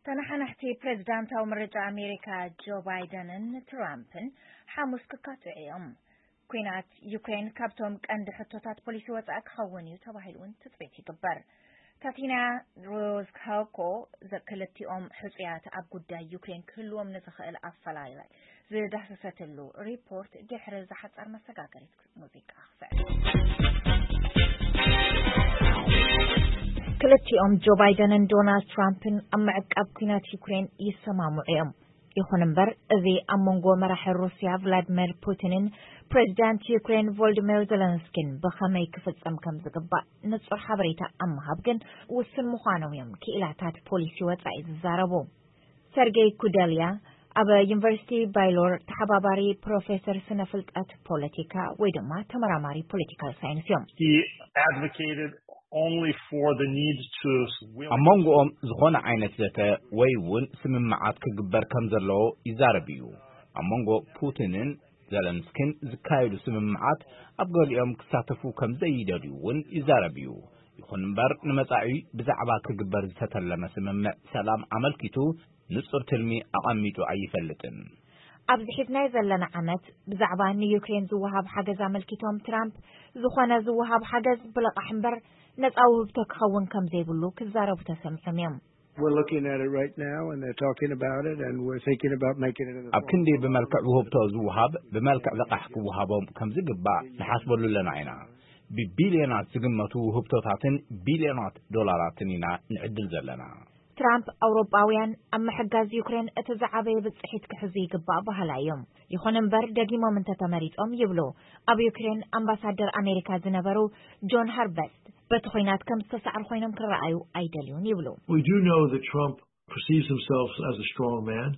ተነሓናሕቲ ፕሬዝዳንታዊ ምርጫ ኣሜሪካ ጆ ባይደንን ትራምፕን ሓሙስ ክካትዑ እዮም። ኲናት ዩክሬን ካብቶም ቀንዲ ሕቶታት ፖሊሲ ወጻኢ ክኸውን እዩ ተባሂሉ እውን ትጽቢት ይግበር። ታቲና ሮዝካኮ፣ ክልቲኦም ሕጹያት ኣብ ጉዳይ ዩክሬን ክህልዎም ንዝኽእል ኣፈላላይ ዝዳሰሰትሉ ሪፖርት ድሕሪ ዝሓጸር መሰጋገሪት ሙዚቃ ክስዕብ። ክልቲኦም ጆ ባይደንን ዶናልድ ትራምፕን ኣብ ምዕቃብ ኲናት ዩክሬን ይሰማምዑ እዮም። ይኹን እምበር፣ እዚ ኣብ መንጎ መራሒ ሩስያ ቭላድሚር ፑቲንን ፕሬዚዳንት ዩክሬን ቮልዲሚር ዘለንስኪን ብኸመይ ክፍጸም ከም ዝግባእ ንጹር ሓበሬታ ኣብ ምሃብ ግን ውሱን ምዃኖም እዮም ክኢላታት ፖሊሲ ወጻኢ ዝዛረቡ። ሰርጌይ ኩደልያ ኣብ ዩኒቨርሲቲ ባይሎር ተሓባባሪ ፕሮፌሰር ስነ ፍልጠት ፖለቲካ ወይ ድማ ተመራማሪ ፖለቲካል ሳይንስ እዮም። He advocated only for the need to win. ኣብ መንጎኦም ዝኾነ ዓይነት ዘተ ወይ እውን ስምምዓት ክግበር ከም ዘለዎ ይዛረብ እዩ። ኣብ መንጎ ፑቲንን ዘለንስኪን ዝካየዱ ስምምዓት ኣብ ገሊኦም ክሳተፉ ከም ዘይደልዩ እውን ይዛረብ እዩ። ይኹን እምበር፣ ንመጻኢ ብዛዕባ ክግበር ዝተተለመ ስምምዕ ሰላም ኣመልኪቱ ንጹር ትልሚ ኣቐሚጡ ኣይፈልጥን። ኣብዚ ሒዝናዮ ዘለና ዓመት ብዛዕባ ንዩክሬን ዝወሃብ ሓገዝ ኣመልኪቶም ትራምፕ፣ ዝኾነ ዝወሃብ ሓገዝ ብልቓሕ እምበር ነጻ ውህብቶ ክኸውን ከም ዘይብሉ ክዛረቡ ተሰሚዖም እዮም። We're looking at it right now, and they're talking about it, and we're thinking about making it in the ኣብ ክንዲ ብመልክዕ ውህብቶ ዝወሃብ ብመልክዕ ልቓሕ ክወሃቦም ከም ዝግባእ ንሓስበሉ ኣለና ኢና። ብቢልዮናት ዝግመቱ ውህብቶታትን ቢልዮናት ዶላራትን ኢና ንዕድል ዘለና። ትራምፕ ኣውሮጳውያን ኣብ ምሕጋዝ ዩክሬን እቲ ዝዓበየ ብጽሒት ክሕዙ ይግባእ በሃላይ እዮም። ይኹን እምበር፣ ደጊሞም እንተተመሪጾም ይብሉ ኣብ ዩክሬን ኣምባሳደር ኣሜሪካ ዝነበሩ ጆን ሃርበስት፣ በቲ ኹናት ከም ዝተሳዕሩ ኮይኖም ክረኣዩ ኣይደልዩን ይብሉ። We do know that Trump perceives himself as a strong man.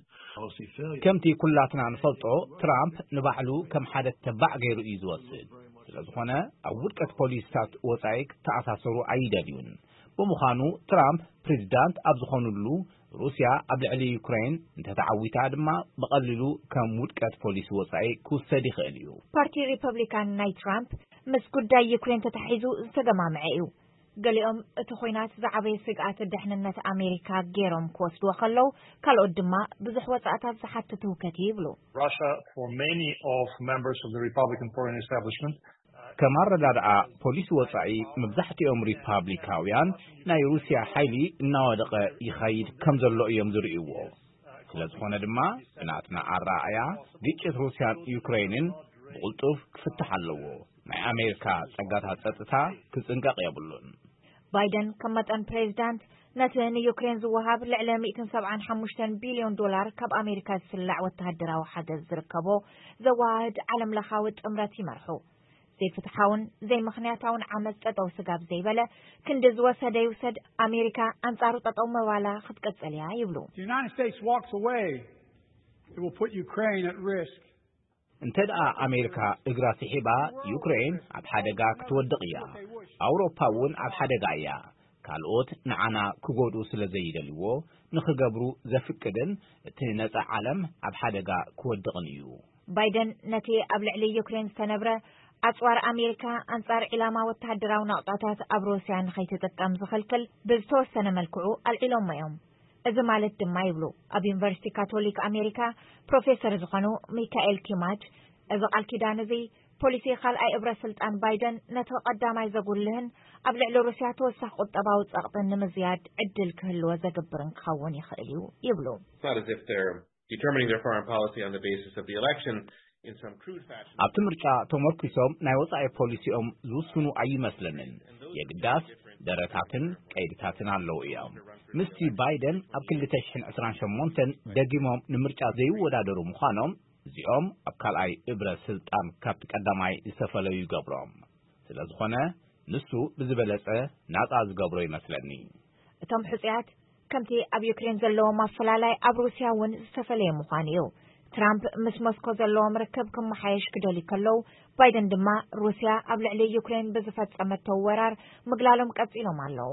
ከምቲ ኩላትና ንፈልጦ፣ ትራምፕ ንባዕሉ ከም ሓደ ተባዕ ገይሩ እዩ ዝወስድ። ስለ ዝኾነ፣ ኣብ ውድቀት ፖሊሲታት ወጻኢ ክተኣሳሰሩ ኣይደልዩን። ብምዃኑ፣ ትራምፕ ፕሬዚዳንት ኣብ ዝኾኑሉ፣ ሩስያ ኣብ ልዕሊ ዩክሬን እንተተዓዊታ ድማ፣ ብቐሊሉ ከም ውድቀት ፖሊሲ ወጻኢ ክውሰድ ይኽእል እዩ። ፓርቲ ሪፐብሊካን ናይ ትራምፕ ምስ ጉዳይ ዩክሬን ተታሒዙ ዝተገማምዐ እዩ። ገሊኦም እቲ ኹናት ዝዓበየ ስግኣት ደሕንነት ኣሜሪካ ገይሮም ክወስድዎ ከለዉ፣ ካልኦት ድማ ብዙሕ ወጻእታት ዝሓትት ህውከት እዩ ይብሉ። Russia, for many of members of the Republican Party establishment, ከም ኣረዳድኣ ፖሊሲ ወጻኢ፣ መብዛሕትኦም ሪፓብሊካውያን ናይ ሩስያ ሓይሊ እናወደቐ ይኸይድ ከም ዘሎ እዮም ዝርእይዎ። ስለ ዝኾነ ድማ፣ ብናትና ኣረኣእያ፣ ግጭት ሩስያን ዩክሬንን ብቕልጡፍ ክፍታሕ ኣለዎ። ናይ ኣሜሪካ ጸጋታት ጸጥታ ክጽንቀቕ የብሉን። ባይደን ከም መጠን ፕሬዚዳንት፣ ነቲ ንዩክሬን ዝወሃብ ልዕሊ ሚእትን ሰብዓን ሓሙሽተን ቢልዮን ዶላር ካብ ኣሜሪካ ዝስላዕ ወተሃደራዊ ሓገዝ ዝርከቦ ዘወሃህድ ዓለም ለኻዊ ጥምረት ይመርሑ። ዘይፍትሓውን ዘይምኽንያታውን ዓመጽ ጠጠው ስጋብ ዘይበለ፣ ክንዲ ዝወሰደ ይውሰድ፣ ኣሜሪካ ኣንጻሩ ጠጠው ምባላ ክትቅጽል እያ ይብሉ። The United States walks away, it will put Ukraine at risk. እንተ ደኣ ኣሜሪካ እግራ ስሒባ፣ ዩክሬን ኣብ ሓደጋ ክትወድቕ እያ። ኣውሮፓ እውን ኣብ ሓደጋ እያ። ካልኦት ንዓና ክጎድኡ ስለ ዘይደልዎ፣ ንኽገብሩ ዘፍቅድን እቲ ነጻ ዓለም ኣብ ሓደጋ ክወድቕን እዩ። ባይደን ነቲ ኣብ ልዕሊ ዩክሬን ዝተነብረ ኣጽዋር ኣሜሪካ ኣንጻር ዒላማ ወተሃደራዊ ናቕጣታት ኣብ ሩስያ ንኸይትጥቀም ዝኽልክል ብዝተወሰነ መልክዑ ኣልዒሎሞ እዮም። እዚ ማለት ድማ ይብሉ ኣብ ዩኒቨርሲቲ ካቶሊክ ኣሜሪካ ፕሮፌሰር ዝኾኑ ሚካኤል ኪማጅ፣ እዚ ቃል ኪዳን እዚ ፖሊሲ ካልኣይ እብረ ስልጣን ባይደን ነቲ ቀዳማይ ዘጉልህን ኣብ ልዕሊ ሩስያ ተወሳኺ ቁጠባዊ ጸቕጥን ንምዝያድ ዕድል ክህልዎ ዘግብርን ክኸውን ይኽእል እዩ ይብሉ። It's not as if they're determining their foreign policy on the basis of the election in some crude fashion. ኣብቲ ምርጫ ተመርኪሶም ናይ ወጻኢ ፖሊሲኦም ዝውስኑ ኣይመስለንን። የግዳስ ደረታትን ቀይድታትን ኣለዉ እዮም። ምስቲ ባይደን ኣብ ክልተ ሽሕን ዕስራን ሸሞንተን ደጊሞም ንምርጫ ዘይወዳደሩ ምዃኖም፣ እዚኦም ኣብ ካልኣይ እብረ ስልጣን ካብቲ ቀዳማይ ዝተፈለዩ ይገብሮም። ስለ ዝኾነ፣ ንሱ ብዝበለጸ ናጻ ዝገብሮ ይመስለኒ። እቶም ሕጹያት ከምቲ ኣብ ዩክሬን ዘለዎም ኣፈላላይ ኣብ ሩስያ እውን ዝተፈለየ ምዃኑ እዩ። ትራምፕ ምስ ሞስኮ ዘለዎም ርክብ ክመሓየሽ ክደልዩ ከለዉ፣ ባይደን ድማ ሩስያ ኣብ ልዕሊ ዩክሬን ብዝፈጸመቶ ወራር ምግላሎም ቀጺሎም ኣለዉ።